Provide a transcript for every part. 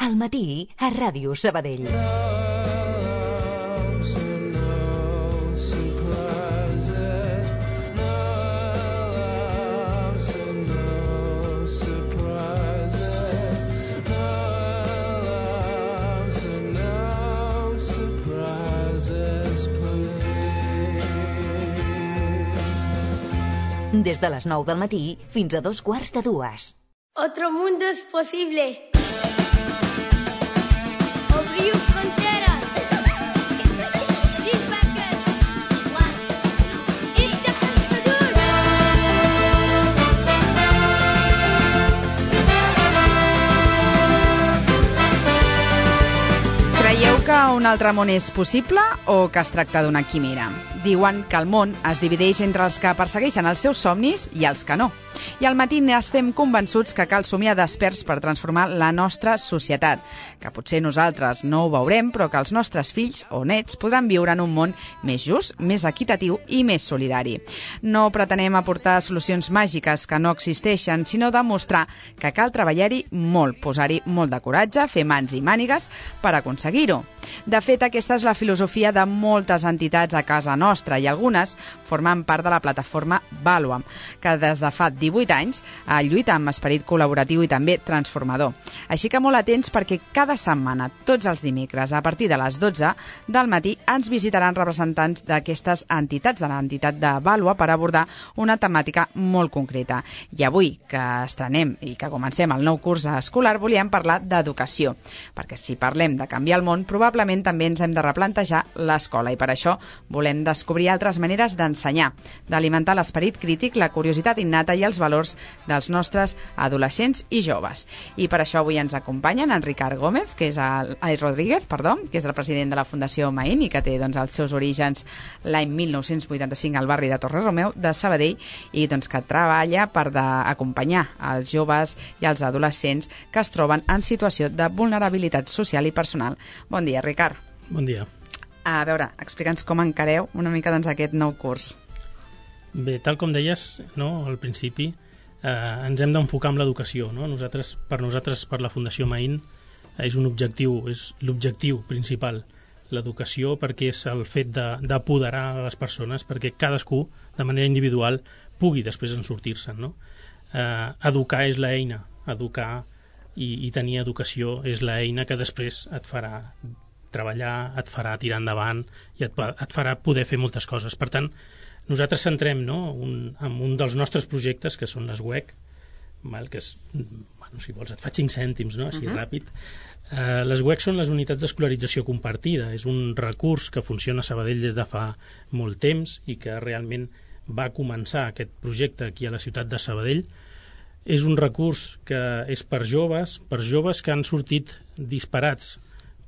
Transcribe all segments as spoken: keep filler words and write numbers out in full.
Al matí, a Ràdio Sabadell. Des de les nou del matí fins a dos quarts de dues. Otro mundo es posible. Abriu fronteras. Creieu que un altre món és possible o que es tracta d'una quimera? Diuen que el món es divideix entre els que persegueixen els seus somnis i els que no. I al matí estem convençuts que cal somiar desperts per transformar la nostra societat, que potser nosaltres no ho veurem, però que els nostres fills o nets podran viure en un món més just, més equitatiu i més solidari. No pretenem aportar solucions màgiques que no existeixen, sinó demostrar que cal treballar-hi molt, posar-hi molt de coratge, fer mans i mànigues per aconseguir-ho. De fet, aquesta és la filosofia de moltes entitats a casa nostra i algunes formen part de la plataforma Valuam, que des de fa divuit anys lluita amb esperit col·laboratiu i també transformador. Així que molt atents perquè cada setmana, tots els dimecres, a partir de les dotze del matí, ens visitaran representants d'aquestes entitats, de l'entitat de Valua, per abordar una temàtica molt concreta. I avui, que estrenem i que comencem el nou curs escolar, volíem parlar d'educació, perquè si parlem de canviar el món, probablement també ens hem de replantejar l'escola i per això volem descobrir altres maneres d'ensenyar, d'alimentar l'esperit crític, la curiositat innata i els valors dels nostres adolescents i joves. I per això avui ens acompanyen en Ricard Gómez, que és el, ai, Rodríguez, perdó, que és el president de la Fundació Maín i que té doncs, els seus orígens l'any mil nou-cents vuitanta-cinc al barri de Torre-Romeu de Sabadell i doncs, que treballa per acompanyar els joves i els adolescents que es troben en situació de vulnerabilitat social i personal. Bon dia, Ricard. Bon dia. A veure, explica'ns com encareu una mica doncs, aquest nou curs. Bé, tal com deies, no, al principi, eh, ens hem d'enfocar en l'educació. No? Nosaltres, per nosaltres, per la Fundació Maín, és un objectiu, és l'objectiu principal, l'educació, perquè és el fet d'apoderar les persones, perquè cadascú, de manera individual, pugui després en sortir-se'n. No? Eh, educar és l'eina, educar i, i tenir educació és l'eina que després et farà treballar, et farà tirar endavant i et, et farà poder fer moltes coses. Per tant, nosaltres centrem no, un, en un dels nostres projectes, que són les U E C, val, que és, bueno, si vols et faig cinc cèntims, no, així uh -huh. ràpid. Uh, les U E C són les unitats d'escolarització compartida. És un recurs que funciona a Sabadell des de fa molt temps i que realment va començar aquest projecte aquí a la ciutat de Sabadell. És un recurs que és per joves, per joves que han sortit disparats,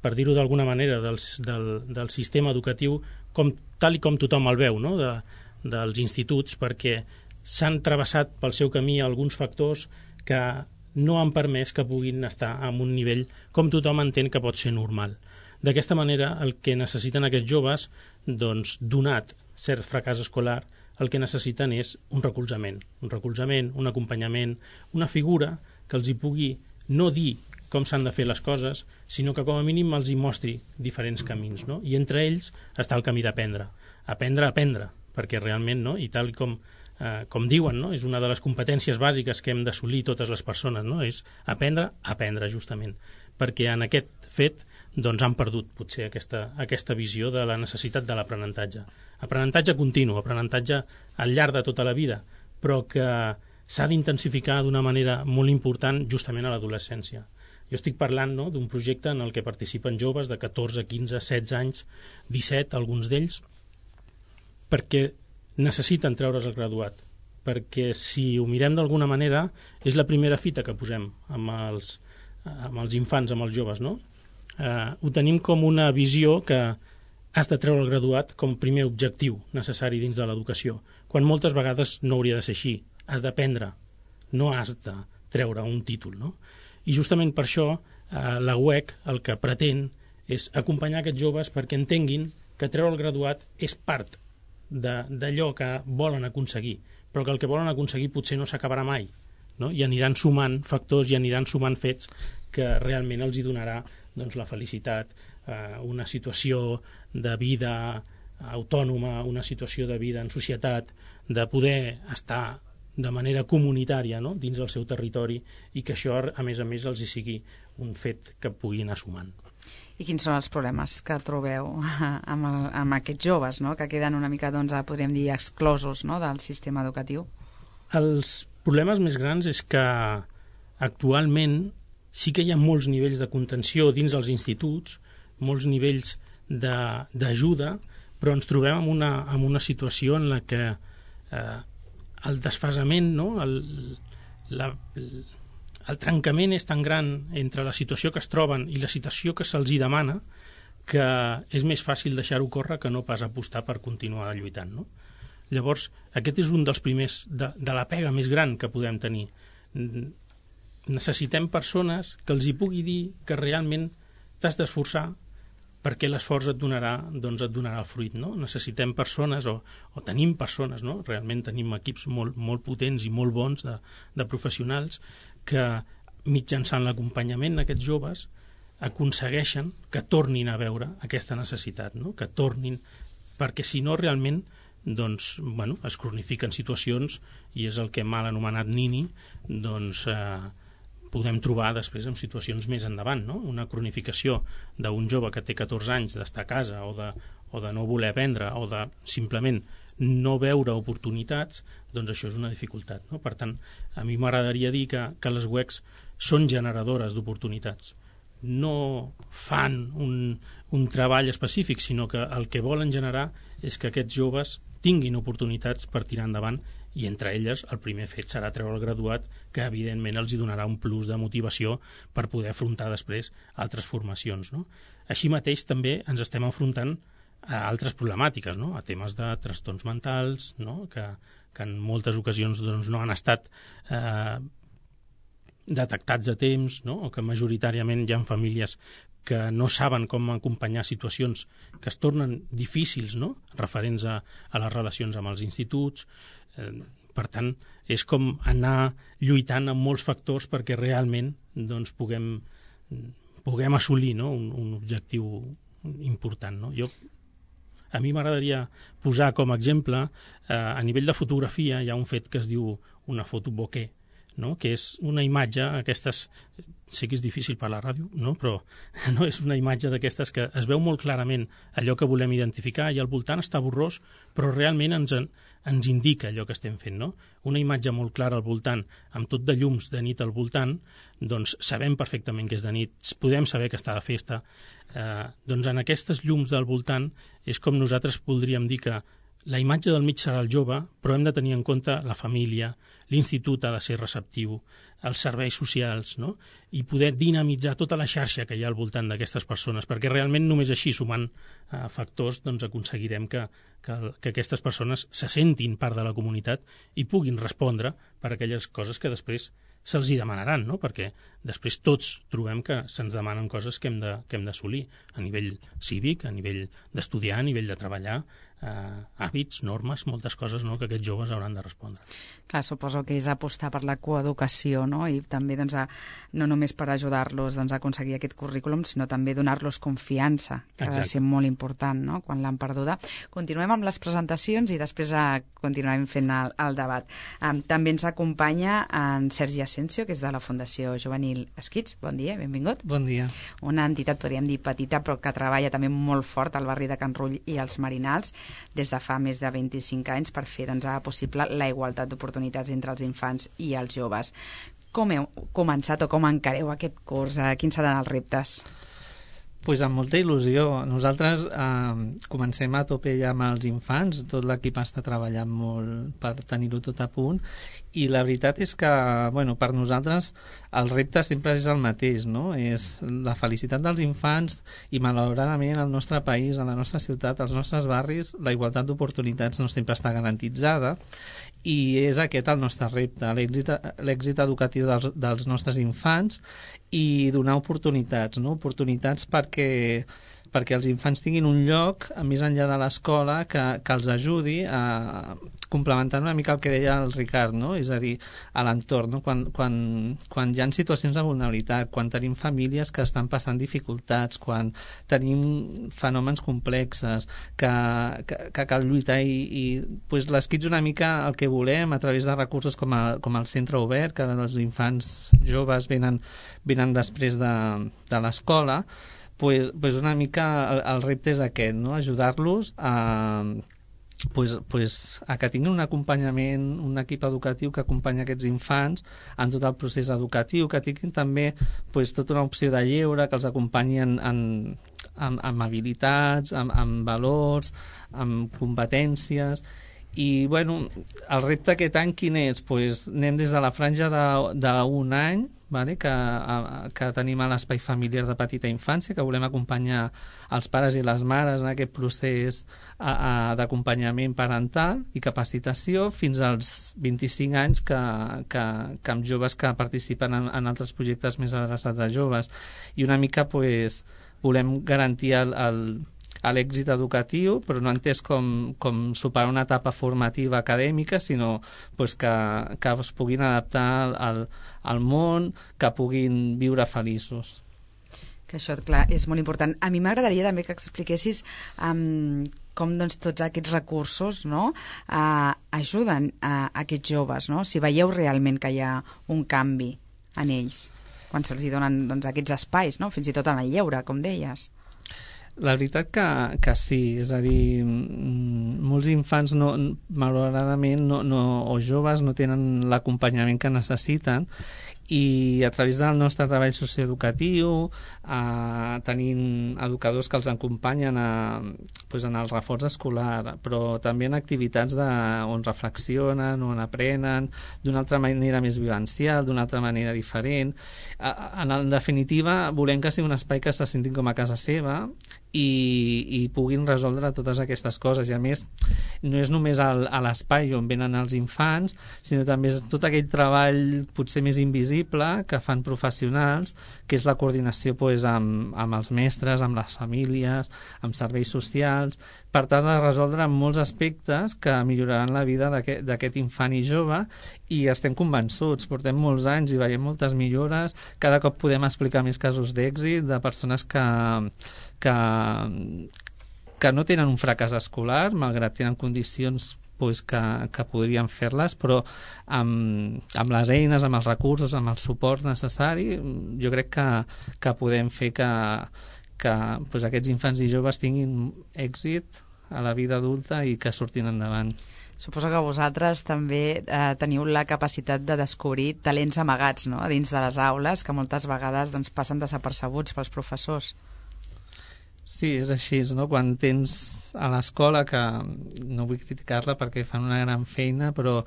per dir-ho d'alguna manera, del, del, del sistema educatiu com, tal i com tothom el veu, no? de, dels instituts, perquè s'han travessat pel seu camí alguns factors que no han permès que puguin estar en un nivell com tothom entén que pot ser normal. D'aquesta manera, el que necessiten aquests joves, doncs, donat cert fracàs escolar, el que necessiten és un recolzament, un recolzament, un acompanyament, una figura que els hi pugui no dir com s'han de fer les coses, sinó que com a mínim els hi mostri diferents camins, no? I entre ells està el camí d'aprendre. Aprendre a aprendre, perquè realment, no? I tal com, eh, com diuen, no? És una de les competències bàsiques que hem d'assolir totes les persones, no? És aprendre a aprendre, justament. Perquè en aquest fet doncs han perdut potser aquesta, aquesta visió de la necessitat de l'aprenentatge. Aprenentatge continu, aprenentatge al llarg de tota la vida, però que s'ha d'intensificar d'una manera molt important justament a l'adolescència. Jo estic parlant no, d'un projecte en el que participen joves de catorze, quinze, setze anys, disset, alguns d'ells, perquè necessiten treure's el graduat. Perquè si ho mirem d'alguna manera, és la primera fita que posem amb els, amb els infants, amb els joves, no? Eh, ho tenim com una visió que has de treure el graduat com primer objectiu necessari dins de l'educació, quan moltes vegades no hauria de ser així. Has d'aprendre, no has de treure un títol, no? I justament per això eh, la U E C el que pretén és acompanyar aquests joves perquè entenguin que treure el graduat és part d'allò que volen aconseguir, però que el que volen aconseguir potser no s'acabarà mai, no? I aniran sumant factors i aniran sumant fets que realment els hi donarà doncs, la felicitat, eh, una situació de vida autònoma, una situació de vida en societat, de poder estar de manera comunitària, no?, dins del seu territori, i que això, a més a més, els hi sigui un fet que puguin anar sumant. I quins són els problemes que trobeu amb, el, amb aquests joves, no?, que queden una mica, doncs, podríem dir, exclosos, no?, del sistema educatiu? Els problemes més grans és que actualment sí que hi ha molts nivells de contenció dins els instituts, molts nivells d'ajuda, però ens trobem en una, en una situació en la que eh, el desfasament, no? el, la, el trencament és tan gran entre la situació que es troben i la situació que se'ls hi demana que és més fàcil deixar-ho córrer que no pas apostar per continuar lluitant, no? Llavors, aquest és un dels primers de, de la pega més gran que podem tenir. Necessitem persones que els hi pugui dir que realment t'has d'esforçar perquè l'esforç et donarà, doncs et donarà el fruit, no? Necessitem persones, o, o tenim persones, no? Realment tenim equips molt, molt potents i molt bons de, de professionals que, mitjançant l'acompanyament d'aquests joves, aconsegueixen que tornin a veure aquesta necessitat, no? Que tornin, perquè si no realment doncs, bueno, es cronifiquen situacions i és el que mal anomenat nini, doncs eh, podem trobar després en situacions més endavant, no? Una cronificació d'un jove que té catorze anys d'estar a casa o de, o de no voler aprendre o de simplement no veure oportunitats, doncs això és una dificultat, no? Per tant, a mi m'agradaria dir que, que les U E Cs són generadores d'oportunitats. No fan un, un treball específic, sinó que el que volen generar és que aquests joves tinguin oportunitats per tirar endavant, i entre elles el primer fet serà treure el graduat, que evidentment els hi donarà un plus de motivació per poder afrontar després altres formacions, no? Així mateix també ens estem enfrontant a altres problemàtiques, no? A temes de trastorns mentals, no? que, que en moltes ocasions doncs, no han estat eh, detectats a temps, no? O que majoritàriament hi ha famílies que no saben com acompanyar situacions que es tornen difícils, no?, referents a, a les relacions amb els instituts. Eh, per tant, és com anar lluitant amb molts factors perquè realment doncs, puguem, puguem assolir, no?, un, un objectiu important, no? Jo, a mi m'agradaria posar com a exemple, eh, a nivell de fotografia hi ha un fet que es diu una foto bokeh, no?, que és una imatge, aquestes, sé que és difícil per la ràdio, no?, però no, és una imatge d'aquestes que es veu molt clarament allò que volem identificar i al voltant està borrós, però realment ens, ens indica allò que estem fent, no? Una imatge molt clara al voltant, amb tot de llums de nit al voltant, doncs sabem perfectament que és de nit, podem saber que està de festa, eh, doncs en aquestes llums del voltant és com nosaltres voldríem dir que la imatge del mig serà el jove, però hem de tenir en compte la família, l'institut ha de ser receptiu, els serveis socials, no?, i poder dinamitzar tota la xarxa que hi ha al voltant d'aquestes persones, perquè realment només així, sumant eh, factors, doncs aconseguirem que, que, que aquestes persones se sentin part de la comunitat i puguin respondre per aquelles coses que després se'ls hi demanaran, no?, perquè després tots trobem que se'ns demanen coses que hem de, que hem d'assolir a nivell cívic, a nivell d'estudiar, a nivell de treballar, eh, hàbits, normes, moltes coses, no?, que aquests joves hauran de respondre. Clar, suposo que és apostar per la coeducació, no?, i també doncs, a, no només per ajudar-los doncs, a aconseguir aquest currículum, sinó també donar-los confiança, que Exacte. Ha de ser molt important, no?, quan l'han perduda. Continuem amb les presentacions i després a, continuem fent el, el debat. Um, també ens acompanya en Sergi Asensio, que és de la Fundació Juvenil Esquits. Bon dia, benvingut. Bon dia. Una entitat, podríem dir, petita, però que treballa també molt fort al barri de Can Rull i als Marinals des de fa més de vint-i-cinc anys per fer doncs, possible la igualtat d'oportunitats entre els infants i els joves. Com heu començat o com encareu aquest curs? Quins seran els reptes? Pues amb molta il·lusió. Nosaltres eh, comencem a tope ja amb els infants, tot l'equip està treballant molt per tenir-ho tot a punt, i la veritat és que, bueno, per nosaltres el repte sempre és el mateix, no? És la felicitat dels infants i malauradament al nostre país, a la nostra ciutat, als nostres barris, la igualtat d'oportunitats no sempre està garantitzada, i és aquest el nostre repte, l'èxit educatiu dels, dels nostres infants i donar oportunitats, no? Oportunitats perquè perquè els infants tinguin un lloc més enllà de l'escola que, que els ajudi a complementar una mica el que deia el Ricard, no? És a dir, a l'entorn, no? quan, quan, quan hi ha situacions de vulnerabilitat, quan tenim famílies que estan passant dificultats, quan tenim fenòmens complexes, que, que, que cal lluitar i, i pues, l'esquitx una mica el que volem a través de recursos com, a, com el centre obert, que els infants joves venen, venen després de, de l'escola, pues, pues una mica el, el repte és aquest, no? Ajudar-los a Pues, pues, a que tinguin un acompanyament, un equip educatiu que acompanya aquests infants en tot el procés educatiu, que tinguin també pues, tota una opció de lleure, que els acompanyi en, en, amb, amb habilitats, amb, amb valors, amb competències. I, bueno, el repte aquest any quin és? Pues, anem des de la franja d'un any, vale? que, a, que tenim a l'espai familiar de petita infància, que volem acompanyar els pares i les mares en aquest procés d'acompanyament parental i capacitació, fins als vint-i-cinc anys que, que, que amb joves que participen en, en altres projectes més adreçats a joves. I una mica pues, volem garantir el, el a l'èxit educatiu, però no entès com, com superar una etapa formativa acadèmica, sinó pues, que, que es puguin adaptar al, al món, que puguin viure feliços. Que això, clar, és molt important. A mi m'agradaria també que expliquessis um, com doncs, tots aquests recursos, no, uh, ajuden a, a aquests joves, no? Si veieu realment que hi ha un canvi en ells, quan se'ls donen doncs, aquests espais, no? Fins i tot en el lleure, com deies. La veritat que, que sí, és a dir, molts infants no, malauradament no, no, o joves no tenen l'acompanyament que necessiten, i a través del nostre treball socioeducatiu eh, tenim educadors que els acompanyen a, pues, en el reforç escolar, però també en activitats de, on reflexionen, on aprenen d'una altra manera més vivencial, d'una altra manera diferent. En, en definitiva, volem que sigui un espai que se sentin com a casa seva i, i puguin resoldre totes aquestes coses, i a més no és només el, a l'espai on venen els infants, sinó també és tot aquell treball potser més invisible que fan professionals, que és la coordinació pues, amb, amb els mestres, amb les famílies, amb serveis socials, per tal de resoldre molts aspectes que milloraran la vida d'aquest infant i jove, i estem convençuts, portem molts anys i veiem moltes millores, cada cop podem explicar més casos d'èxit de persones que, que, que no tenen un fracàs escolar, malgrat tenen condicions pues, que, que podrien fer-les, però amb, amb les eines, amb els recursos, amb el suport necessari, jo crec que, que podem fer que, que pues, aquests infants i joves tinguin èxit a la vida adulta i que surtin endavant. Suposo que vosaltres també eh, teniu la capacitat de descobrir talents amagats, no?, a dins de les aules, que moltes vegades doncs, passen desapercebuts pels professors. Sí, és així, no? Quan tens a l'escola, que no vull criticar-la perquè fan una gran feina, però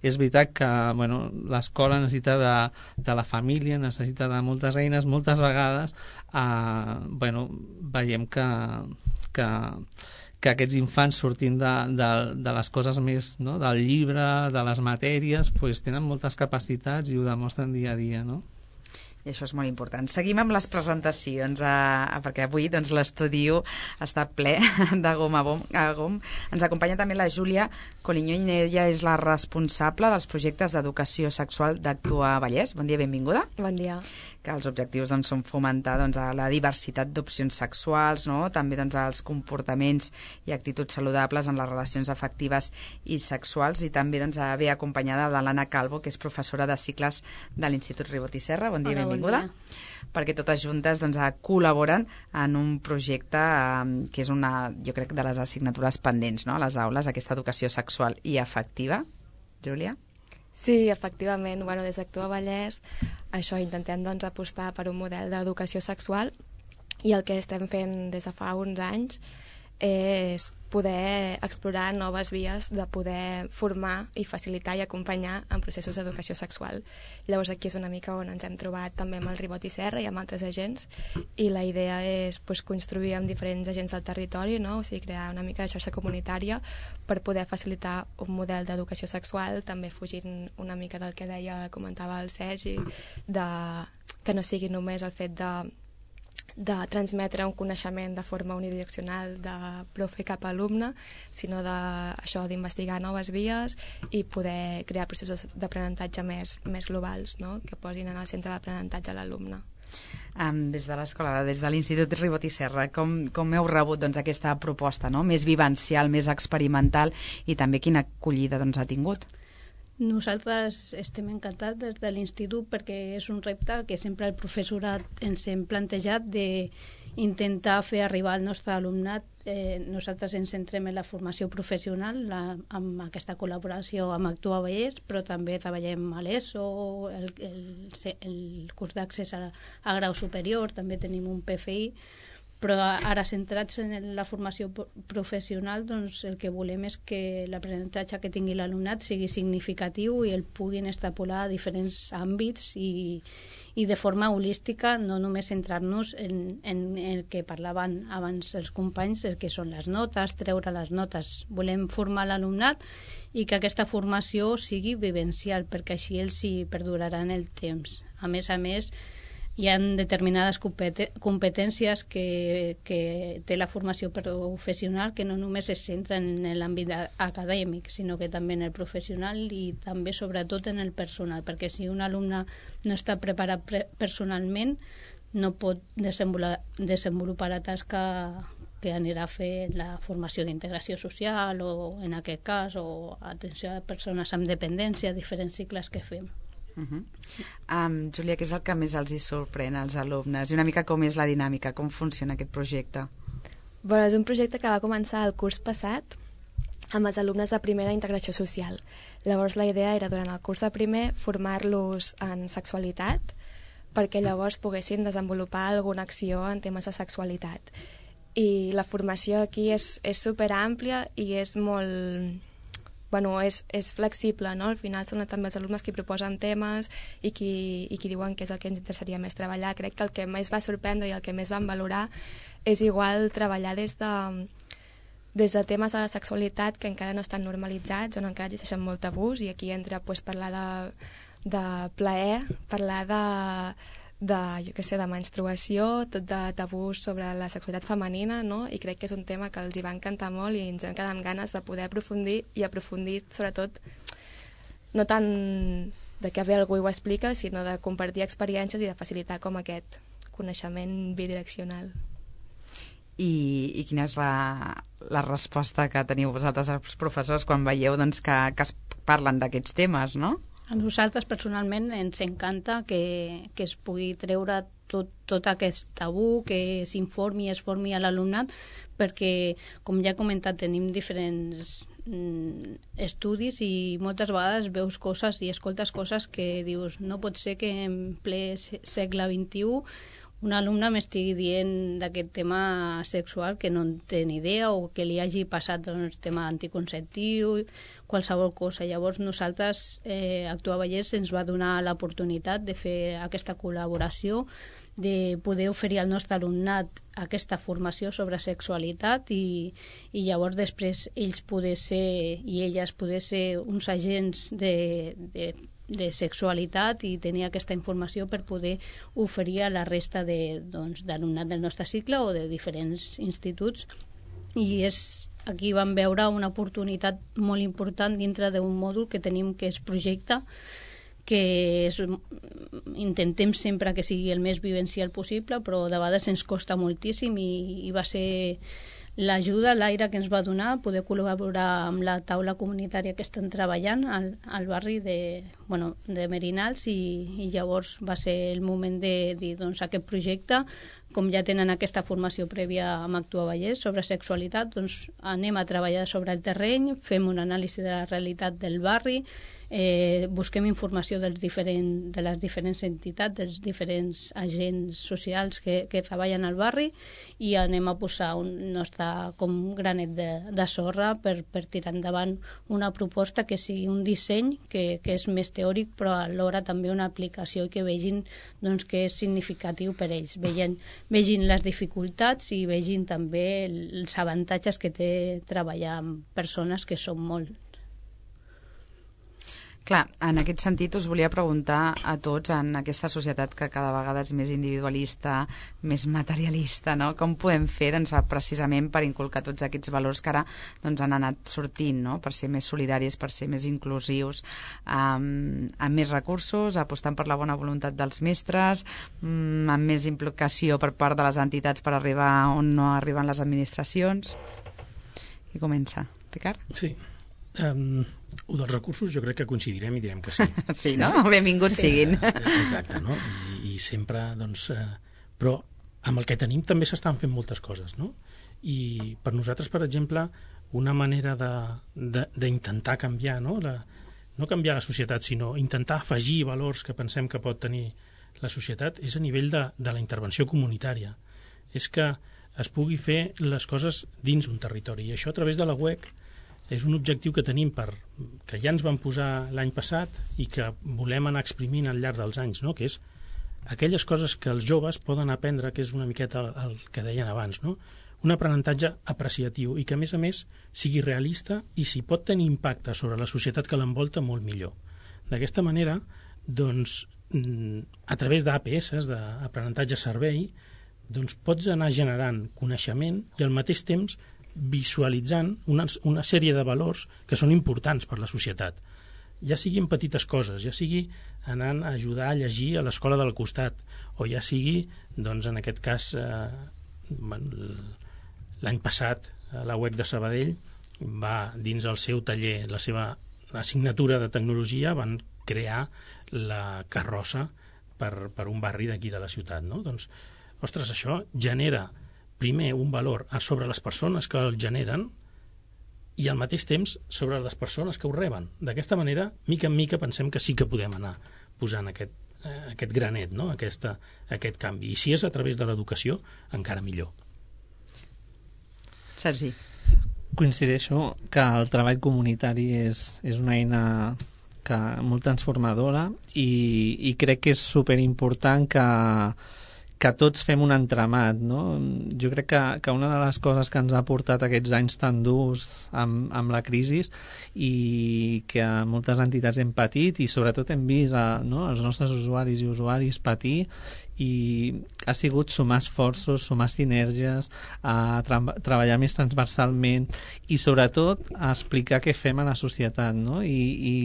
és veritat que bueno, l'escola necessita de, de la família, necessita de moltes eines, moltes vegades eh, bueno, veiem que, que, que aquests infants sortint de, de, de les coses més, no? Del llibre, de les matèries, pues, tenen moltes capacitats i ho demostren dia a dia, no? I això és molt important. Seguim amb les presentacions, eh, perquè avui doncs, l'estudi està ple de gom a gom, a gom. Ens acompanya també la Júlia Coliño, i ella és la responsable dels projectes d'educació sexual d'Actua Vallès. Bon dia, benvinguda. Bon dia. Que els objectius doncs, són fomentar doncs, la diversitat d'opcions sexuals, no? També doncs, els comportaments i actituds saludables en les relacions afectives i sexuals, i també doncs, ve acompanyada de l'Anna Calvo, que és professora de cicles de l'Institut Ribot i Serra. Bon dia, Hola, benvinguda. bon dia. Perquè totes juntes doncs, col·laboren en un projecte eh, que és una, jo crec, de les assignatures pendents, no?, a les aules, aquesta educació sexual i afectiva. Júlia? Sí, efectivament. Bueno, des d'Actua Vallès això intentem doncs, apostar per un model d'educació sexual, i el que estem fent des de fa uns anys és poder explorar noves vies de poder formar i facilitar i acompanyar en processos d'educació sexual. Llavors aquí és una mica on ens hem trobat també amb el Ribot i Serra i amb altres agents, i la idea és pues, construir amb diferents agents del territori, no? O sigui, crear una mica de xarxa comunitària per poder facilitar un model d'educació sexual, també fugint una mica del que deia, comentava el Sergi, de, que no sigui només el fet de de transmetre un coneixement de forma unidireccional de profe cap a alumne, sinó de, això d'investigar noves vies i poder crear processos d'aprenentatge més, més globals, no? Que posin en el centre l'aprenentatge a l'alumne. Um, des de l'escola, des de l'Institut Ribot i Serra, com, com heu rebut doncs, aquesta proposta, no? Més vivencial, més experimental, i també quina acollida doncs, ha tingut? Nosaltres estem encantats des de l'Institut perquè és un repte que sempre el professorat ens hem plantejat d'intentar fer arribar al nostre alumnat. Eh, nosaltres ens centrem en la formació professional la, amb aquesta col·laboració amb Actua Vallès, però també treballem a l'ESO, el, el, el curs d'accés a, a grau superior, també tenim un P F I, però ara centrats en la formació professional, doncs el que volem és que l'aprenentatge que tingui l'alumnat sigui significatiu i el puguin extrapolar a diferents àmbits i, i de forma holística, no només centrar-nos en, en el que parlaven abans els companys, el que són les notes, treure les notes. Volem formar l'alumnat i que aquesta formació sigui vivencial, perquè així ells hi perduraran el temps. A més a més, hi ha determinades competències que, que té la formació professional que no només es centren en l'àmbit acadèmic, sinó que també en el professional i també sobretot en el personal, perquè si un alumne no està preparat pre personalment no pot desenvolupar, desenvolupar la tasca que anirà a fer la formació d'integració social o, en aquest cas, o atenció a persones amb dependència, diferents cicles que fem. Uh -huh. um, Júlia, què és el que més els hi sorprèn als alumnes? I una mica com és la dinàmica, com funciona aquest projecte? Bueno, és un projecte que va començar el curs passat amb els alumnes de primer d'integració social. Llavors la idea era durant el curs de primer formar-los en sexualitat perquè llavors poguessin desenvolupar alguna acció en temes de sexualitat. I la formació aquí és, és superàmplia i és molt... Bueno, és, és flexible, no? Al final són també els alumnes qui proposen temes i qui, i qui diuen que és el que ens interessaria més treballar. Crec que el que més va sorprendre i el que més van valorar és igual treballar des de, des de temes de la sexualitat que encara no estan normalitzats, on encara existeixen molt tabús, i aquí entra pues, parlar de, de plaer, parlar de, de, jo què sé, de menstruació, tot de tabús sobre la sexualitat femenina, no? I crec que és un tema que els hi va encantar molt i ens vam quedar amb ganes de poder aprofundir i aprofundir sobretot no tant de que bé algú ho explica, sinó de compartir experiències i de facilitar com aquest coneixement bidireccional. I, i quina és la, la resposta que teniu vosaltres els professors quan veieu doncs, que, que es parlen d'aquests temes, no? A nosaltres personalment ens encanta que, que es pugui treure tot, tot aquest tabú, que s'informi i es formi a l'alumnat, perquè, com ja he comentat, tenim diferents mm, estudis i moltes vegades veus coses i escoltes coses que dius no pot ser que en ple segle vint-i-u un alumne m'estigui dient d'aquest tema sexual que no en té ni idea o que li hagi passat doncs, tema anticonceptiu, qualsevol cosa. Llavors nosaltres, eh, Actua Vallès, ens va donar l'oportunitat de fer aquesta col·laboració, de poder oferir al nostre alumnat aquesta formació sobre sexualitat i, i llavors després ells poder ser i elles poder ser uns agents de, de de sexualitat i tenir aquesta informació per poder oferir a la resta de, doncs, d'alumnat del nostre cicle o de diferents instituts. I és, aquí vam veure una oportunitat molt important dintre d'un mòdul que tenim que és projecte, que és, intentem sempre que sigui el més vivencial possible, però de vegades ens costa moltíssim i, i va ser l'ajuda, l'aire que ens va donar, poder col·laborar amb la taula comunitària que estan treballant al, al barri de, bueno, de Merinals i, i llavors va ser el moment de dir, doncs aquest projecte, com ja tenen aquesta formació prèvia amb Actua Vallès sobre sexualitat, doncs anem a treballar sobre el terreny, fem una anàlisi de la realitat del barri, eh, busquem informació dels diferent, de les diferents entitats, dels diferents agents socials que, que treballen al barri i anem a posar un nostre com granet de, de sorra per, per tirar endavant una proposta que sigui un disseny que, que és més teòric però alhora també una aplicació i que vegin doncs, que és significatiu per ells, vegin, vegin les dificultats i vegin també els avantatges que té treballar amb persones que són molt. Clar, en aquest sentit us volia preguntar a tots, en aquesta societat que cada vegada és més individualista, més materialista, no? Com podem fer doncs, precisament per inculcar tots aquests valors que ara doncs, han anat sortint, no? Per ser més solidaris, per ser més inclusius, amb, amb més recursos, apostant per la bona voluntat dels mestres, amb més implicació per part de les entitats per arribar on no arriben les administracions. Qui comença? Ricard? Sí. Um, o dels recursos jo crec que coincidirem i direm que sí. Sí, no? Benvinguts sí. siguin. Exacte, no? I, i sempre, doncs... Eh, però amb el que tenim també s'estan fent moltes coses, no? I per nosaltres, per exemple, una manera d'intentar canviar, no? La, no canviar la societat, sinó intentar afegir valors que pensem que pot tenir la societat, és a nivell de, de la intervenció comunitària. És que es pugui fer les coses dins un territori. I això a través de la U E C és un objectiu que tenim, per, que ja ens vam posar l'any passat i que volem anar exprimint al llarg dels anys, no? Que és aquelles coses que els joves poden aprendre, que és una miqueta el, el que deien abans, no? Un aprenentatge apreciatiu i que, a més a més, sigui realista i si pot tenir impacte sobre la societat que l'envolta, molt millor. D'aquesta manera, doncs, a través d'A P S, d'aprenentatge-servei, doncs pots anar generant coneixement i al mateix temps visualitzant una, una sèrie de valors que són importants per la societat. Ja sigui en petites coses, ja sigui anant a ajudar a llegir a l'escola del costat, o ja sigui, doncs, en aquest cas, eh, l'any passat, la U E C de Sabadell va, dins el seu taller, la seva assignatura de tecnologia, van crear la carrossa per, per un barri d'aquí de la ciutat, no? Doncs, ostres, això genera primer un valor sobre les persones que el generen i al mateix temps sobre les persones que ho reben. D'aquesta manera, mica en mica, pensem que sí que podem anar posant aquest, eh, aquest granet, no? Aquesta, aquest canvi. I si és a través de l'educació, encara millor. Sergi. Coincideixo que el treball comunitari és, és una eina que, molt transformadora i, i crec que és superimportant que que tots fem un entramat, no? Jo crec que, que una de les coses que ens ha portat aquests anys tan durs amb, amb la crisi i que moltes entitats hem patit i sobretot hem vist a, no, els nostres usuaris i usuaris patir i ha sigut sumar esforços, sumar sinergies, a tra treballar més transversalment i sobretot a explicar què fem a la societat, no? I, i,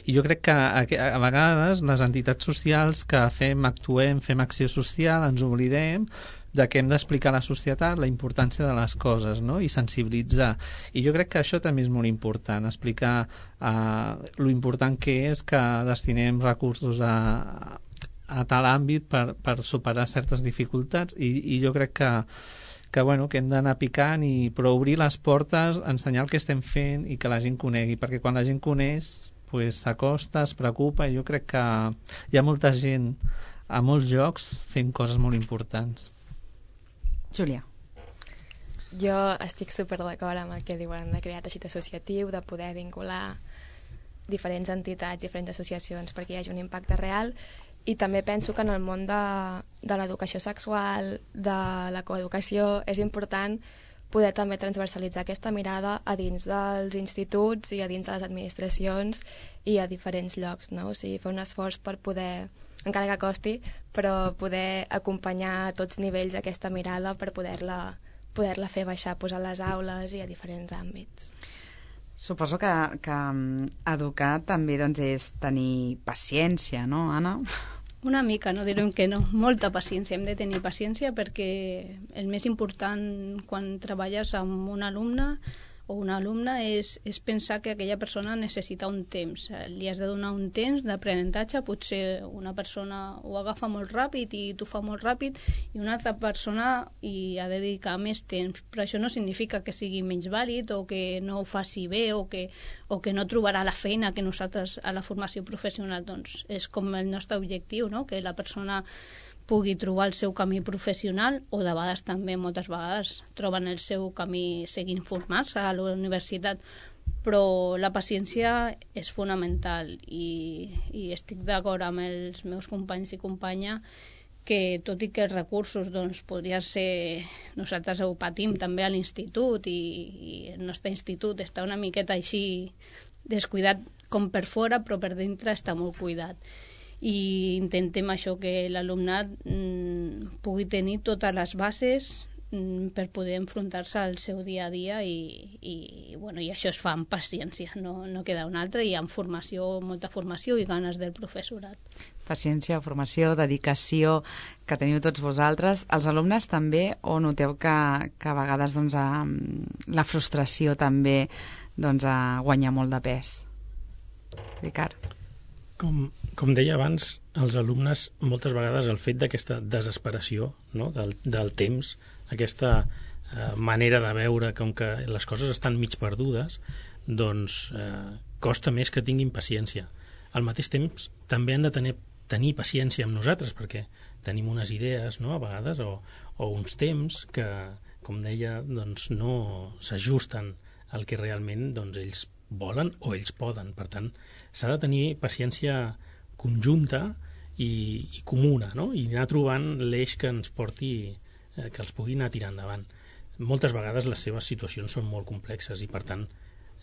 i jo crec que a, a vegades les entitats socials que fem, actuem, fem acció social, ens oblidem de que hem d'explicar a la societat la importància de les coses, no? I sensibilitzar. I jo crec que això també és molt important, explicar uh, lo important que és que destinem recursos a a tal àmbit per, per superar certes dificultats i, i jo crec que, que, bueno, que hem d'anar picant i però obrir les portes, ensenyar el que estem fent i que la gent conegui, perquè quan la gent coneix pues, s'acosta, es preocupa i jo crec que hi ha molta gent a molts llocs fent coses molt importants. Júlia. Jo estic super d'acord amb el que diuen de crear teixit associatiu, de poder vincular diferents entitats, diferents associacions perquè hi hagi un impacte real. I també penso que en el món de, de l'educació sexual, de la coeducació, és important poder també transversalitzar aquesta mirada a dins dels instituts i a dins de les administracions i a diferents llocs, no? O sigui, fer un esforç per poder, encara que costi, però poder acompanyar a tots nivells aquesta mirada per poder-la poder-la fer baixar, posar a les aules i a diferents àmbits. Suposo que, que educar també doncs, és tenir paciència, no, Anna? Una mica, no direm que no. Molta paciència. Hem de tenir paciència perquè el més important quan treballes amb un alumne o una alumna és, és pensar que aquella persona necessita un temps. Li has de donar un temps d'aprenentatge, potser una persona ho agafa molt ràpid i tu fa molt ràpid i una altra persona hi ha de dedicar més temps, però això no significa que sigui menys vàlid o que no ho faci bé o que, o que no trobarà la feina que nosaltres a la formació professional, doncs és com el nostre objectiu, no? Que la persona pugui trobar el seu camí professional o de vegades també, moltes vegades, troben el seu camí seguint formar-se a la universitat. Però la paciència és fonamental i, i estic d'acord amb els meus companys i companya que tot i que els recursos doncs, podrien ser... Nosaltres ho patim també a l'institut i, i el nostre institut està una miqueta així descuidat com per fora, però per dintre està molt cuidat. I intentem això, que l'alumnat mm, pugui tenir totes les bases per poder enfrontar-se al seu dia a dia i, i, bueno, i això es fa amb paciència, no, no queda una altra, i amb formació, molta formació i ganes del professorat. Paciència, formació, dedicació que teniu tots vosaltres. Els alumnes també, o noteu que, que a vegades doncs, a, la frustració també doncs, a guanyar molt de pes? Ricard? Com, com deia abans, els alumnes moltes vegades el fet d'aquesta desesperació, no? del, del temps, aquesta eh, manera de veure com que les coses estan mig perdudes, doncs eh, costa més que tinguin paciència. Al mateix temps també han de tenir, tenir paciència amb nosaltres, perquè tenim unes idees, no?, a vegades, o, o uns temps que, com deia, doncs no s'ajusten al que realment doncs, ells volen o ells poden. Per tant, s'ha de tenir paciència conjunta i, i comuna, no?, i anar trobant l'eix que ens porti, eh, que els pugui anar tirant endavant. Moltes vegades les seves situacions són molt complexes i, per tant,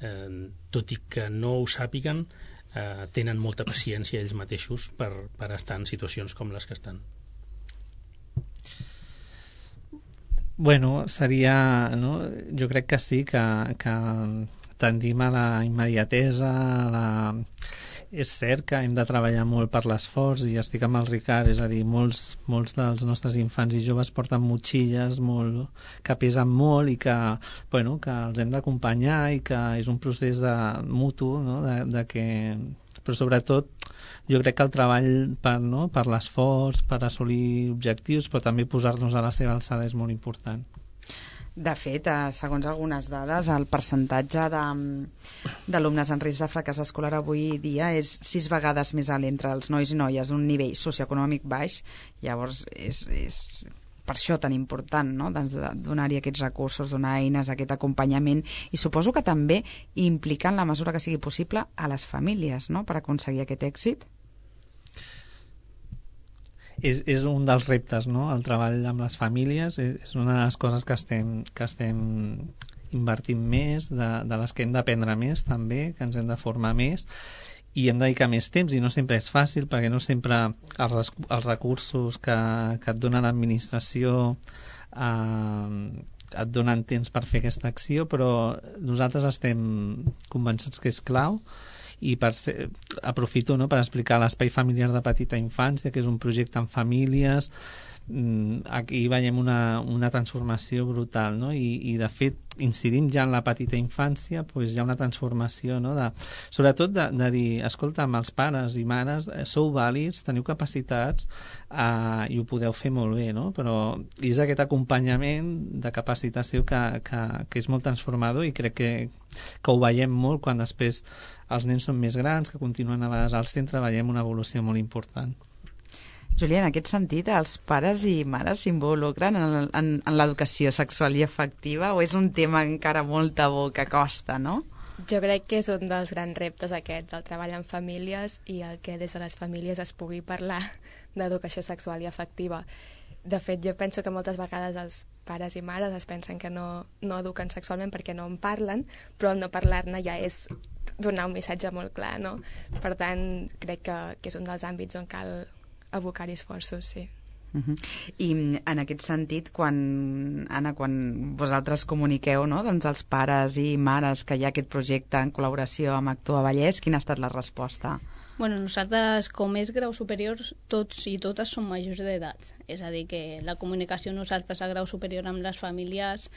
eh, tot i que no ho sàpiguen, eh, tenen molta paciència ells mateixos per, per estar en situacions com les que estan. Bueno, seria, no? Jo crec que sí, que, que tendim a la immediatesa, a la... És cert que hem de treballar molt per l'esforç, i estic amb el Ricard, és a dir, molts, molts dels nostres infants i joves porten motxilles molt, que pesen molt i que, bueno, que els hem d'acompanyar, i que és un procés de mutu, no? de, de que... Però sobretot jo crec que el treball per, no? per l'esforç, per assolir objectius, però també posar-nos a la seva alçada és molt important. De fet, segons algunes dades, el percentatge d'alumnes en risc de fracàs escolar avui dia és sis vegades més alt entre els nois i noies d'un nivell socioeconòmic baix. Llavors, és, és per això tan important, no?, doncs donar-hi aquests recursos, donar eines, aquest acompanyament, i suposo que també implicar en la mesura que sigui possible a les famílies, no?, per aconseguir aquest èxit. És, és un dels reptes, no?, el treball amb les famílies és, és una de les coses que estem, que estem invertint més, de, de les que hem d'aprendre més també, que ens hem de formar més, i hem de dedicar més temps, i no sempre és fàcil, perquè no sempre els, els recursos que, que et dona l'administració eh, et donen temps per fer aquesta acció, però nosaltres estem convençuts que és clau. I per ser, aprofito, no?, per explicar l'Espai Familiar de Petita Infància, que és un projecte amb famílies. Aquí veiem una, una transformació brutal, no? I, i de fet incidim ja en la petita infància, doncs hi ha una transformació, no?, de, sobretot de, de dir, escolta, amb els pares i mares sou vàlids, teniu capacitats eh, i ho podeu fer molt bé, no? Però és aquest acompanyament de capacitació que, que, que és molt transformador, i crec que, que ho veiem molt quan després els nens són més grans, que continuen a vegades al centre, veiem una evolució molt important. Júlia, en aquest sentit, els pares i mares s'involucren en, en, en l'educació sexual i afectiva, o és un tema encara molt tabú que costa, no? Jo crec que és un dels grans reptes aquest, del treball en famílies, i el que des de les famílies es pugui parlar d'educació sexual i afectiva. De fet, jo penso que moltes vegades els pares i mares es pensen que no, no eduquen sexualment perquè no en parlen, però el no parlar-ne ja és donar un missatge molt clar, no? Per tant, crec que, que és un dels àmbits on cal abocar-hi esforços, sí. Uh-huh. I en aquest sentit, quan, Anna, quan vosaltres comuniqueu, no?, doncs als pares i mares que hi ha aquest projecte en col·laboració amb Actua Vallès, quina ha estat la resposta? Bueno, nosaltres, com és grau superior, tots i totes som majors d'edat. És a dir, que la comunicació nosaltres a grau superior amb les famílies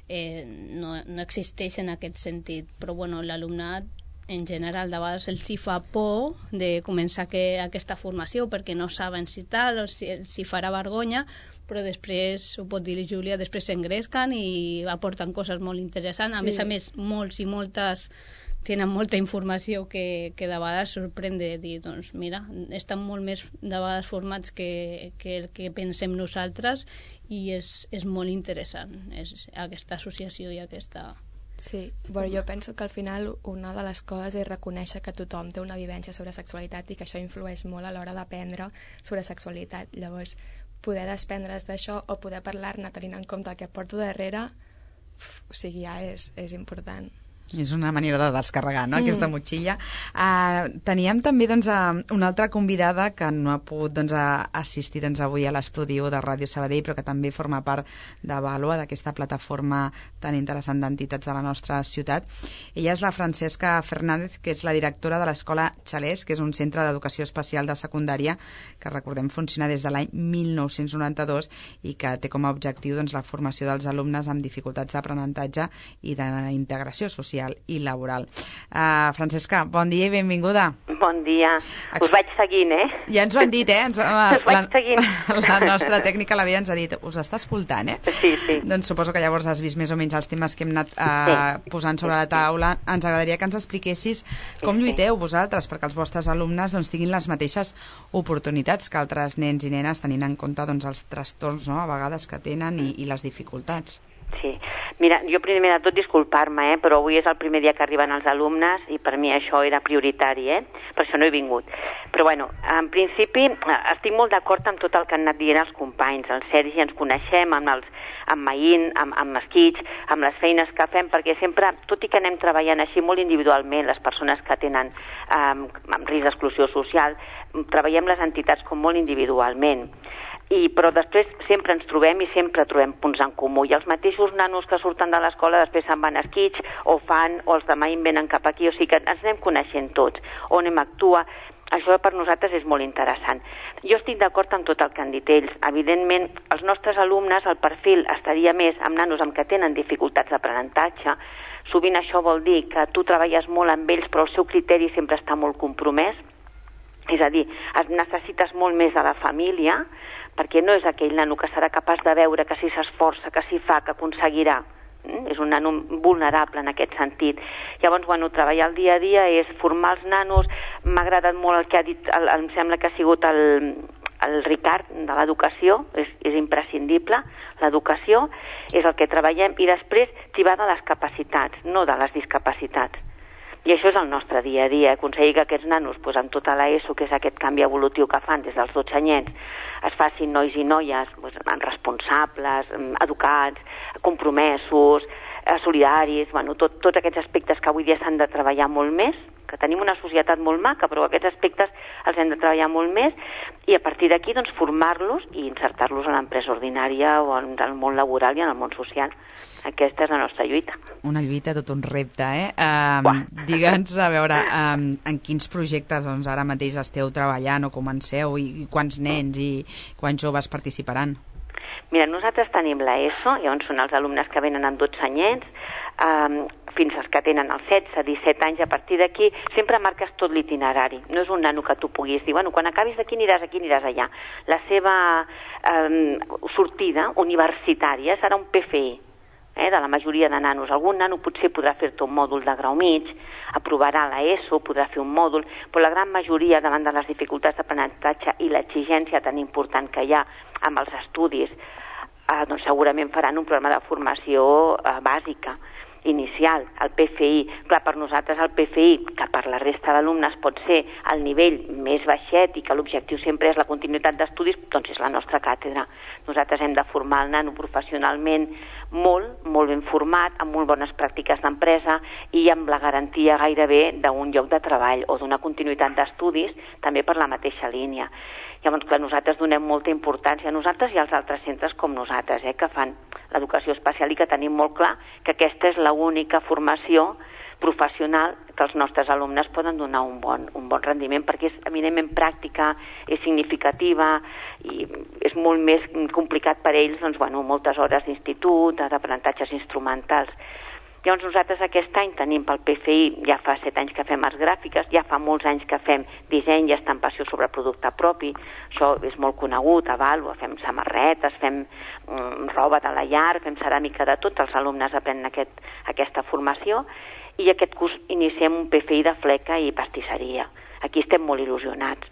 eh, no, no existeix en aquest sentit. Però bueno, l'alumnat en general de vegades els hi fa por de començar que, aquesta formació perquè no saben si tal o si, si farà vergonya, però després, ho pot dir Júlia, després s'engresquen i aporten coses molt interessants. Sí. A més a més, molts i moltes tenen molta informació que, que de vegades sorprèn de dir, doncs mira, estan molt més de vegades formats que, que el que pensem nosaltres, i és, és molt interessant és aquesta associació i aquesta... Sí, bueno, jo penso que al final una de les coses és reconèixer que tothom té una vivència sobre sexualitat i que això influeix molt a l'hora d'aprendre sobre sexualitat. Llavors, poder desprendre's d'això o poder parlar-ne tenint en compte el que porto darrere, o sigui, ja és, és important. És una manera de descarregar, no?, aquesta motxilla. Uh, teníem també doncs, uh, una altra convidada que no ha pogut doncs, uh, assistir doncs, avui a l'estudi de Ràdio Sabadell, però que també forma part de Vàlua, d'aquesta plataforma tan interessant d'entitats de la nostra ciutat. Ella és la Francesca Fernández, que és la directora de l'Escola Xalès, que és un centre d'educació especial de secundària que, recordem, funciona des de l'any mil nou-cents noranta-dos i que té com a objectiu doncs, la formació dels alumnes amb dificultats d'aprenentatge i d'integració social i laboral. Uh, Francesca, bon dia i benvinguda. Bon dia. Us vaig seguint, eh? Ja ens ho han dit, eh? Ens, uh, Us vaig la, seguint. La nostra tècnica l'havia ens ha dit, us està escoltant, eh? Sí, sí. Doncs suposo que llavors has vist més o menys els temes que hem anat uh, sí. posant sobre la taula. Ens agradaria que ens expliquessis com sí, lluiteu vosaltres perquè els vostres alumnes doncs, tinguin les mateixes oportunitats que altres nens i nenes, tenint en compte doncs, els trastorns, no?, a vegades que tenen i, i les dificultats. Sí. Mira, jo primer de tot disculpar-me, eh? però avui és el primer dia que arriben els alumnes i per mi això era prioritari, eh? per això no he vingut. Però bueno, en principi estic molt d'acord amb tot el que han anat dient els companys. El Sergi ens coneixem amb els amb Maín, amb, amb Esquitx, amb les feines que fem, perquè sempre, tot i que anem treballant així molt individualment, les persones que tenen eh, amb risc d'exclusió social, treballem les entitats com molt individualment. I, però després sempre ens trobem i sempre trobem punts en comú. I els mateixos nanos que surten de l'escola després se'n van a Esquitx o fan, o els de Maín venen cap aquí, o sigui que ens anem coneixent tots, on hem actua. Això per nosaltres és molt interessant. Jo estic d'acord amb tot el que han dit ells. Evidentment, els nostres alumnes, el perfil estaria més amb nanos amb que tenen dificultats d'aprenentatge. Sovint això vol dir que tu treballes molt amb ells, però el seu criteri sempre està molt compromès. És a dir, es necessites molt més de la família, perquè no és aquell nano que serà capaç de veure que si s'esforça, que si fa, que aconseguirà. Mm? És un nano vulnerable en aquest sentit. Llavors, bueno, treballar el dia a dia és formar els nanos. M'ha agradat molt el que ha dit, el, em sembla que ha sigut el, el Ricard de l'educació, és, és imprescindible. L'educació és el que treballem i després tibar de les capacitats, no de les discapacitats. I això és el nostre dia a dia, aconseguir que aquests nanos, doncs, amb tota l'ESO, que és aquest canvi evolutiu que fan des dels dotze anyets, es facin nois i noies doncs, responsables, educats, compromesos, solidaris, bueno, tot, tots aquests aspectes que avui dia s'han de treballar molt més, que tenim una societat molt maca, però aquests aspectes els hem de treballar molt més, i a partir d'aquí doncs, formar-los i insertar-los a l'empresa ordinària o en el món laboral i en el món social. Aquesta és la nostra lluita. Una lluita, tot un repte, eh? Um, Digue'ns, a veure, um, en quins projectes doncs, ara mateix esteu treballant o comenceu i, i quants nens i quants joves participaran? Mira, nosaltres tenim l'ESO, llavors són els alumnes que venen amb dotze anyets, um, fins als que tenen els setze, disset anys. A partir d'aquí sempre marques tot l'itinerari. No és un nano que tu puguis dir, bueno, quan acabis d'aquí aniràs aquí, aniràs allà. La seva um, sortida universitària serà un P F I, eh, de la majoria de nanos. Algun nano potser podrà fer-te un mòdul de grau mig, aprovarà l'ESO, podrà fer un mòdul, però la gran majoria, davant de les dificultats d'aprenentatge i l'exigència tan important que hi ha amb els estudis, eh, doncs segurament faran un programa de formació eh, bàsica, inicial, el P F I. Clar, per nosaltres el P F I, que per la resta d'alumnes pot ser el nivell més baixet i que l'objectiu sempre és la continuïtat d'estudis, doncs és la nostra càtedra. Nosaltres hem de formar el nano professionalment molt, molt ben format, amb molt bones pràctiques d'empresa i amb la garantia gairebé d'un lloc de treball o d'una continuïtat d'estudis, també per la mateixa línia. Llavors, clar, nosaltres donem molta importància a nosaltres i als altres centres com nosaltres, eh, que fan l'educació especial i que tenim molt clar que aquesta és l'única formació professional que els nostres alumnes poden donar un bon, un bon rendiment, perquè és eminentment pràctica, és significativa i és molt més complicat per ells, doncs, bueno, moltes hores d'institut, d'aprenentatges instrumentals. Llavors nosaltres aquest any tenim pel P F I, ja fa set anys que fem arts gràfiques, ja fa molts anys que fem disseny i estampació sobre producte propi, això és molt conegut, a Vàlua, fem samarretes, fem um, roba de la llar, fem ceràmica de tot, els alumnes aprenen aquest, aquesta formació, i aquest curs iniciem un P F I de fleca i pastisseria. Aquí estem molt il·lusionats,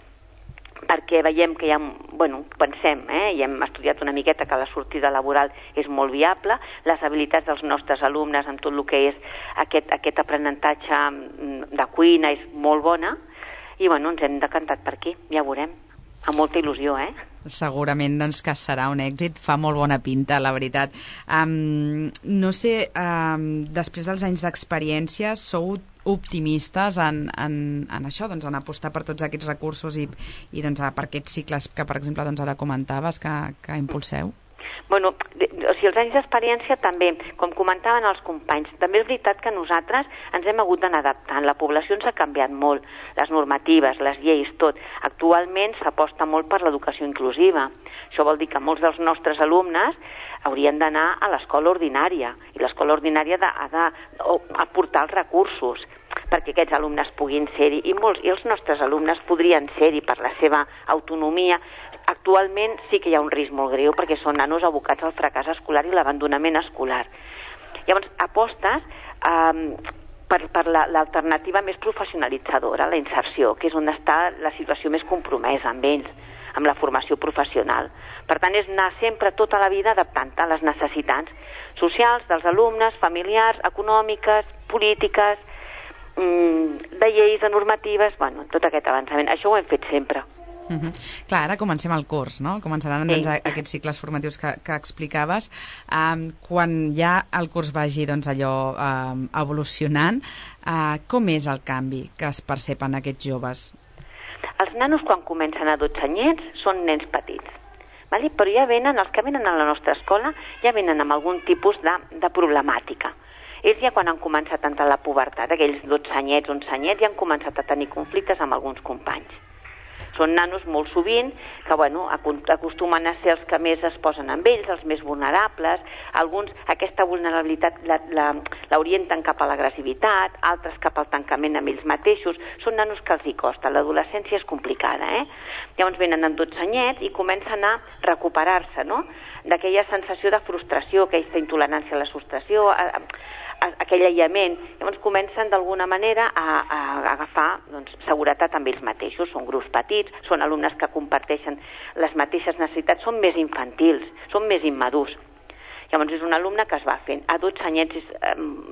perquè veiem que hi ha, bueno, pensem, eh, i hem estudiat una miqueta que la sortida laboral és molt viable, les habilitats dels nostres alumnes amb tot el que és aquest, aquest aprenentatge de cuina és molt bona, i bueno, ens hem decantat per aquí, ja veurem, amb molta il·lusió, eh? segurament doncs, que serà un èxit, fa molt bona pinta, la veritat. Um, no sé, um, després dels anys d'experiència, sou optimistes en, en, en això, doncs, en apostar per tots aquests recursos i, i doncs, per aquests cicles que, per exemple, doncs, ara comentaves que, que impulseu? Bueno, o sigui, els anys d'experiència també, com comentaven els companys, també és veritat que nosaltres ens hem hagut d'anar adaptant. La població ens ha canviat molt, les normatives, les lleis, tot. Actualment s'aposta molt per l'educació inclusiva. Això vol dir que molts dels nostres alumnes haurien d'anar a l'escola ordinària, i l'escola ordinària ha d'aportar els recursos perquè aquests alumnes puguin ser-hi, i molts, i els nostres alumnes podrien ser-hi per la seva autonomia. Actualment sí que hi ha un risc molt greu perquè són nanos abocats al fracàs escolar i l'abandonament escolar. Llavors, apostes eh, per, per l'alternativa més professionalitzadora, la inserció, que és on està la situació més compromesa amb ells, amb la formació professional. Per tant, és anar sempre tota la vida adaptant-te a les necessitats socials dels alumnes, familiars, econòmiques, polítiques, de lleis, de normatives, bueno, tot aquest avançament. Això ho hem fet sempre. Uh -huh. Clar, ara comencem el curs, no? Començaran sí. doncs, aquests cicles formatius que, que explicaves. Um, quan ja el curs vagi doncs, allò um, evolucionant, uh, com és el canvi que es percep en aquests joves? Els nanos, quan comencen a dotze anyets, són nens petits. Vale? Però ja venen, els que venen a la nostra escola, ja venen amb algun tipus de, de problemàtica. Ells ja quan han començat a entrar a la pubertat, aquells dotze anyets, onze anyets, ja han començat a tenir conflictes amb alguns companys. Són nanos molt sovint que bueno, acostumen a ser els que més es posen amb ells, els més vulnerables. Alguns aquesta vulnerabilitat l'orienten cap a l'agressivitat, altres cap al tancament amb ells mateixos. Són nanos que els hi costa. L'adolescència és complicada, eh? Llavors venen amb dotze anyets i comencen a recuperar-se, no?, d'aquella sensació de frustració, aquesta intolerància a la frustració, a, a, aquell aïllament. Llavors comencen d'alguna manera a, a agafar doncs, seguretat amb ells mateixos. Són grups petits, són alumnes que comparteixen les mateixes necessitats, són més infantils, són més immadurs. Llavors és un alumne que es va fent. A dotze anyets és,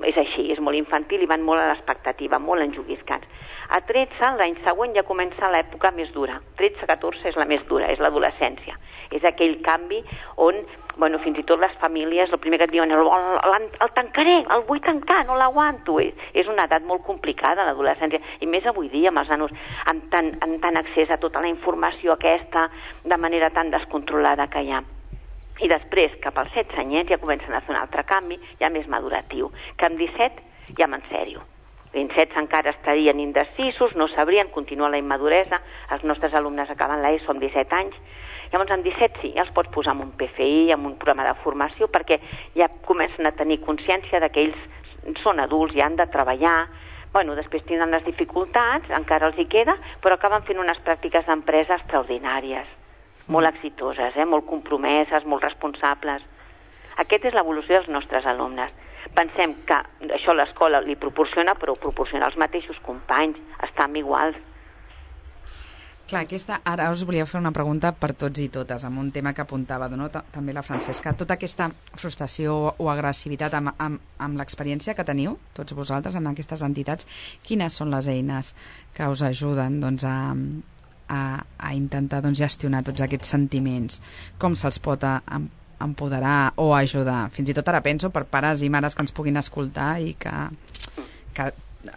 és així, és molt infantil i van molt a l'expectativa, molt enjoguiscats. A tretze, l'any següent, ja comença l'època més dura. tretze a catorze és la més dura, és l'adolescència. És aquell canvi on, bueno, fins i tot les famílies, el primer que et diuen, el, el, el tancaré, el vull tancar, no l'aguanto. És, és una edat molt complicada, l'adolescència, i més avui dia amb els nanos amb tant, amb tant accés a tota la informació aquesta, de manera tan descontrolada que hi ha. I després, cap als setze anyets, ja comencen a fer un altre canvi, ja més maduratiu, que amb disset ja en sèrio. En setze encara estarien indecisos, no sabrien, continua la immaduresa, els nostres alumnes acaben l'ESO amb disset anys. Llavors, amb disset sí, ja els pots posar en un P F I, en un programa de formació, perquè ja comencen a tenir consciència de que ells són adults i han de treballar. Bueno, després tindran les dificultats, encara els hi queda, però acaben fent unes pràctiques d'empresa extraordinàries, molt exitoses, eh? Molt compromeses, molt responsables. Aquesta és l'evolució dels nostres alumnes. Pensem que això l'escola li proporciona, però ho proporciona els mateixos companys, estan iguals. Clar, aquesta, ara us volia fer una pregunta per tots i totes, amb un tema que apuntava no? també la Francesca. Tota aquesta frustració o agressivitat amb, amb, amb l'experiència que teniu, tots vosaltres, amb aquestes entitats, quines són les eines que us ajuden doncs, a, a, a intentar doncs, gestionar tots aquests sentiments? Com se'ls pot a, a empoderar o ajudar? Fins i tot ara penso per pares i mares que ens puguin escoltar i que, que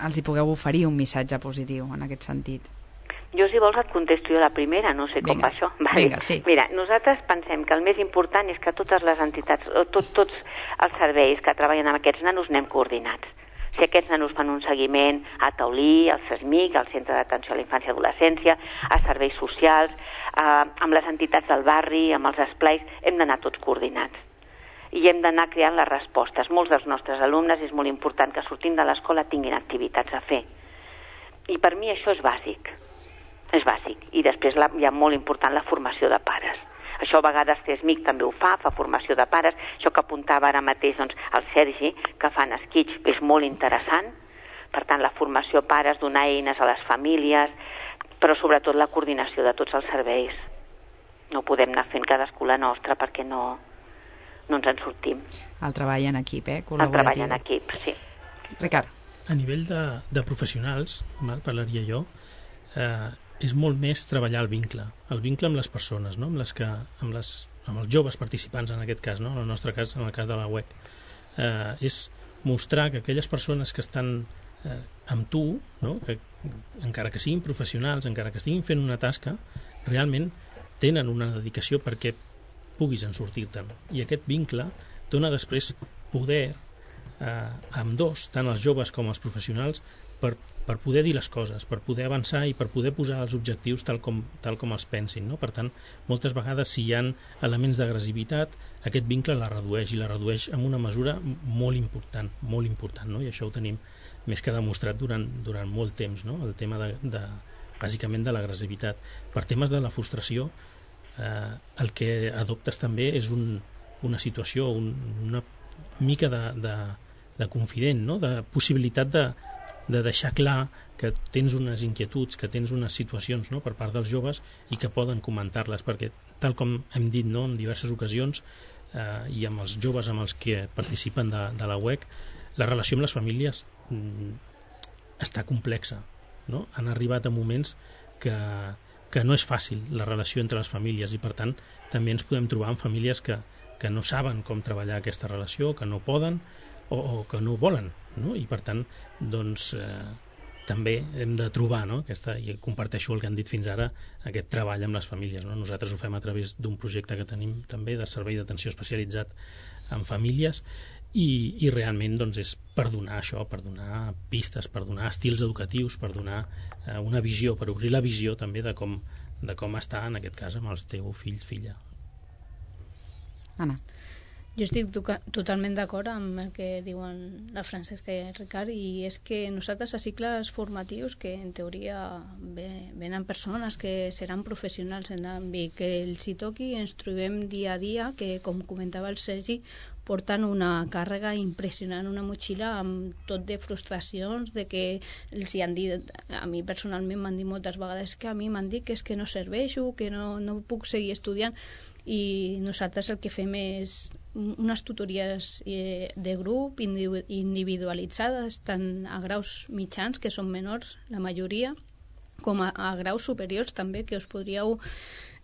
els hi pugueu oferir un missatge positiu en aquest sentit. Jo, si vols, et contesto jo la primera, no sé com vinga, va això. Vale. Vinga, sí. Mira, nosaltres pensem que el més important és que totes les entitats, o tot, tots els serveis que treballen amb aquests nanos anem coordinats. Si aquests nanos fan un seguiment a Taulí, al CESMIC, al Centre d'Atenció a la Infància i Adolescència, a serveis socials, eh, amb les entitats del barri, amb els esplais, hem d'anar tots coordinats. I hem d'anar creant les respostes. Molts dels nostres alumnes és molt important que sortint de l'escola tinguin activitats a fer. I per mi això és bàsic. És bàsic. I després la, hi ha molt important la formació de pares. Això a vegades CESMIC també ho fa, fa formació de pares. Això que apuntava ara mateix doncs, el Sergi, que fan esquitx, és molt interessant. Per tant, la formació a pares, donar eines a les famílies, però sobretot la coordinació de tots els serveis. No podem anar fent cadascú la nostra perquè no, no ens en sortim. El treball en equip, eh? El treball en equip, sí. Ricard. A nivell de, de professionals, mal, parlaria jo, eh, és molt més treballar el vincle, el vincle amb les persones, no? amb, les que, amb, les, amb els joves participants en aquest cas, no? en el nostre cas, en el cas de la U E C. Eh, és mostrar que aquelles persones que estan eh, amb tu, no? que, encara que siguin professionals, encara que estiguin fent una tasca, realment tenen una dedicació perquè puguis en sortir-te'n. I aquest vincle dona després poder eh, amb dos, tant els joves com els professionals, per, per poder dir les coses, per poder avançar i per poder posar els objectius tal com, tal com els pensin. No? Per tant, moltes vegades, si hi ha elements d'agressivitat, aquest vincle la redueix, i la redueix amb una mesura molt important, molt important, no? I això ho tenim més que demostrat durant, durant molt temps, no? El tema de, de, bàsicament de l'agressivitat. Per temes de la frustració, eh, el que adoptes també és un, una situació, un, una mica de, de, de confident, no? De possibilitat de de deixar clar que tens unes inquietuds, que tens unes situacions, no? per part dels joves, i que poden comentar-les, perquè tal com hem dit, no? en diverses ocasions, eh, i amb els joves amb els que participen de, de la U E C, la relació amb les famílies mm, està complexa, no? Han arribat a moments que, que no és fàcil la relació entre les famílies, i per tant també ens podem trobar amb famílies que, que no saben com treballar aquesta relació, que no poden o, o que no volen, no? I per tant doncs eh, també hem de trobar, no? Aquesta, i comparteixo el que han dit fins ara, aquest treball amb les famílies, no? Nosaltres ho fem a través d'un projecte que tenim també de servei d'atenció especialitzat en famílies, i, i realment doncs, és per donar això, per donar pistes, per donar estils educatius, per donar eh, una visió, per obrir la visió també de com, de com està en aquest cas amb el teu fill, filla. Anna. Jo estic totalment d'acord amb el que diuen la Francesca i el Ricard, i és que nosaltres a cicles formatius, que en teoria venen persones que seran professionals en l'àmbit que els hi toqui, ens trobem dia a dia que, com comentava el Sergi, porten una càrrega impressionant, una motxilla amb tot de frustracions, de que els hi han dit, a mi personalment m'han dit moltes vegades que a mi m'han dit que és que no serveixo, que no, no puc seguir estudiant, i nosaltres el que fem és unes tutories eh, de grup individualitzades, tant a graus mitjans, que són menors la majoria, com a, a graus superiors també, que us podríeu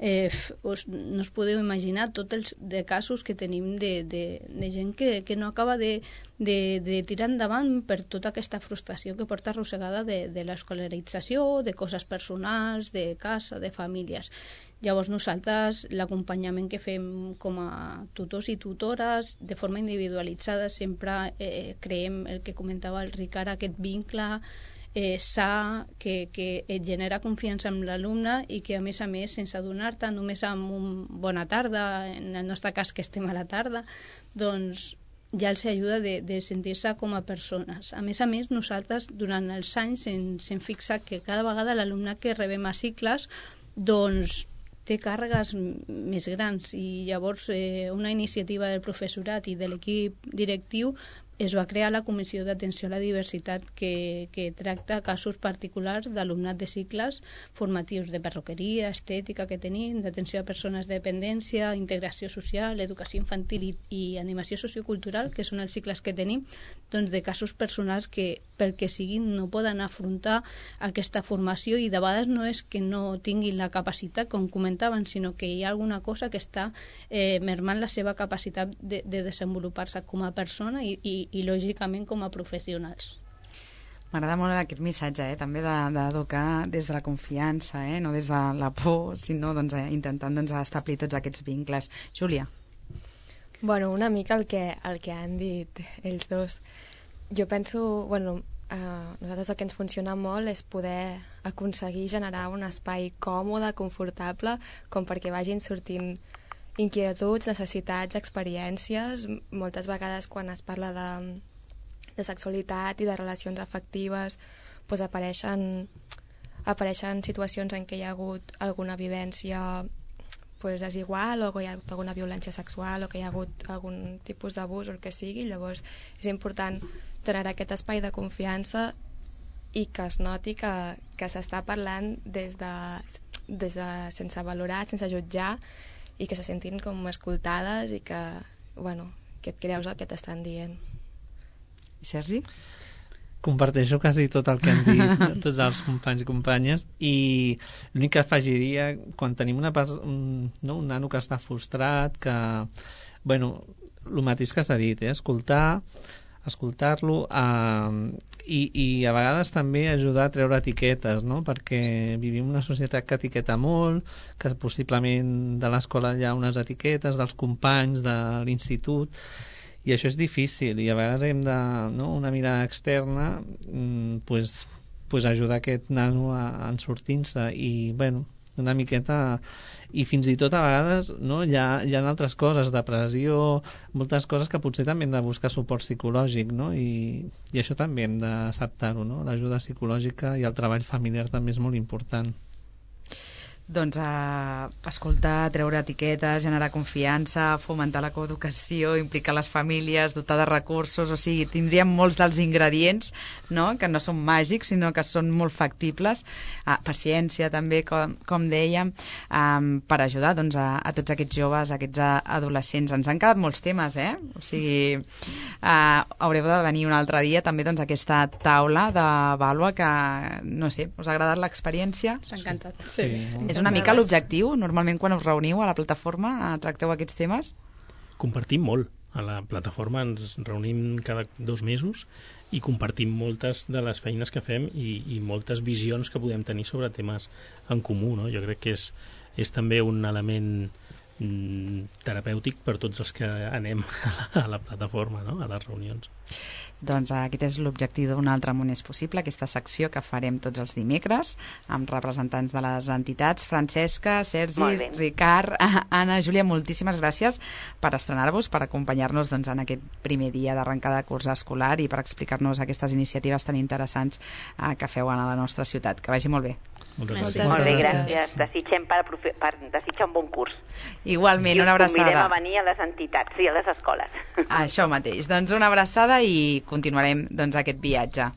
eh, us, no us podeu imaginar tots els de casos que tenim de, de, de gent que, que no acaba de, de, de tirar endavant per tota aquesta frustració que porta arrossegada de, de l'escolarització, de coses personals, de casa, de famílies. Llavors nosaltres l'acompanyament que fem com a tutors i tutores de forma individualitzada sempre eh, creem el que comentava el Ricard, aquest vincle eh, sa que, que et genera confiança amb l'alumne i que a més a més sense adonar-te només amb un bona tarda, en el nostre cas que estem a la tarda, doncs ja els ajuda de, de sentir-se com a persones. A més a més nosaltres durant els anys ens hem fixat que cada vegada l'alumne que rebem a cicles doncs té càrregues més grans i llavors eh, una iniciativa del professorat i de l'equip directiu es va crear la Comissió d'Atenció a la Diversitat que, que tracta casos particulars d'alumnat de cicles formatius de perruqueria, estètica que tenim, d'atenció a persones de dependència, integració social, educació infantil i, i animació sociocultural, que són els cicles que tenim, doncs de casos personals que pel que siguin no poden afrontar aquesta formació i de vegades no és que no tinguin la capacitat, com comentaven, sinó que hi ha alguna cosa que està eh, mermant la seva capacitat de, de desenvolupar-se com a persona i, i i lògicament com a professionals. M'agrada molt aquest missatge, eh? també d'educar de, des de la confiança, eh? no des de la por, sinó doncs, eh? intentant doncs, establir tots aquests vincles. Júlia. Bueno, una mica el que, el que han dit els dos. Jo penso, bueno, eh, nosaltres el que ens funciona molt és poder aconseguir generar un espai còmode, confortable, com perquè vagin sortint inquietuds, necessitats, experiències. Moltes vegades quan es parla de, de sexualitat i de relacions afectives doncs apareixen, apareixen situacions en què hi ha hagut alguna vivència doncs, desigual o que hi ha hagut alguna violència sexual o que hi ha hagut algun tipus d'abús o el que sigui. Llavors és important generar aquest espai de confiança i que es noti que, que s'està parlant des de, des de sense valorar, sense jutjar, i que se sentin com escoltades i que, bueno, que et creus el que t'estan dient. Sergi? comparteixo quasi tot el que han dit tots els companys i companyes, i l'únic que afegiria, quan tenim una un, no, un nano que està frustrat, que, bueno, el mateix que s'ha dit, eh? escoltar, escoltar-lo eh, i, i a vegades també ajudar a treure etiquetes, no? Perquè vivim una societat que etiqueta molt, que possiblement de l'escola hi ha unes etiquetes, dels companys, de l'institut, i això és difícil, i a vegades hem de, no, una mirada externa, mm, pues, pues ajudar aquest nano a, a sortir-se, i bueno, una miqueta, i fins i tot a vegades, no, hi ha, hi ha altres coses, depressió, moltes coses que potser també hem de buscar suport psicològic, no? I, i això també hem d'acceptar-ho, no? L'ajuda psicològica i el treball familiar també és molt important. Doncs a escoltar, treure etiquetes, generar confiança, fomentar la coeducació, implicar les famílies, dotar de recursos, o sigui, tindríem molts dels ingredients, no?, que no són màgics, sinó que són molt factibles. Ah, paciència també, com, com dèiem, um, per ajudar doncs, a, a tots aquests joves, a aquests adolescents. Ens han quedat molts temes, eh? O sigui, uh, haureu de venir un altre dia també doncs, a aquesta taula de vàlua que, no sé, us ha agradat l'experiència? S'ha encantat. Sí. És una mica l'objectiu, normalment quan us reuniu a la plataforma tracteu aquests temes? Compartim molt. A la plataforma ens reunim cada dos mesos i compartim moltes de les feines que fem i, i moltes visions que podem tenir sobre temes en comú, no? Jo crec que és, és també un element mm, terapèutic per tots els que anem a la, a la plataforma, no? A les reunions. Doncs aquest és l'objectiu d'un altre món és possible, aquesta secció que farem tots els dimecres amb representants de les entitats. Francesca, Sergi, Ricard, Anna, Júlia, moltíssimes gràcies per estrenar-vos, per acompanyar-nos doncs, en aquest primer dia d'arrencada de curs escolar i per explicar-nos aquestes iniciatives tan interessants eh, que feu a la nostra ciutat. Que vagi molt bé. Moltes gràcies. Molt bé, gràcies. Desitgem per, per desitjar un bon curs. Igualment, una abraçada. I us convidem a venir a les entitats i a les escoles. Això mateix. Doncs una abraçada i continuarem doncs, aquest viatge.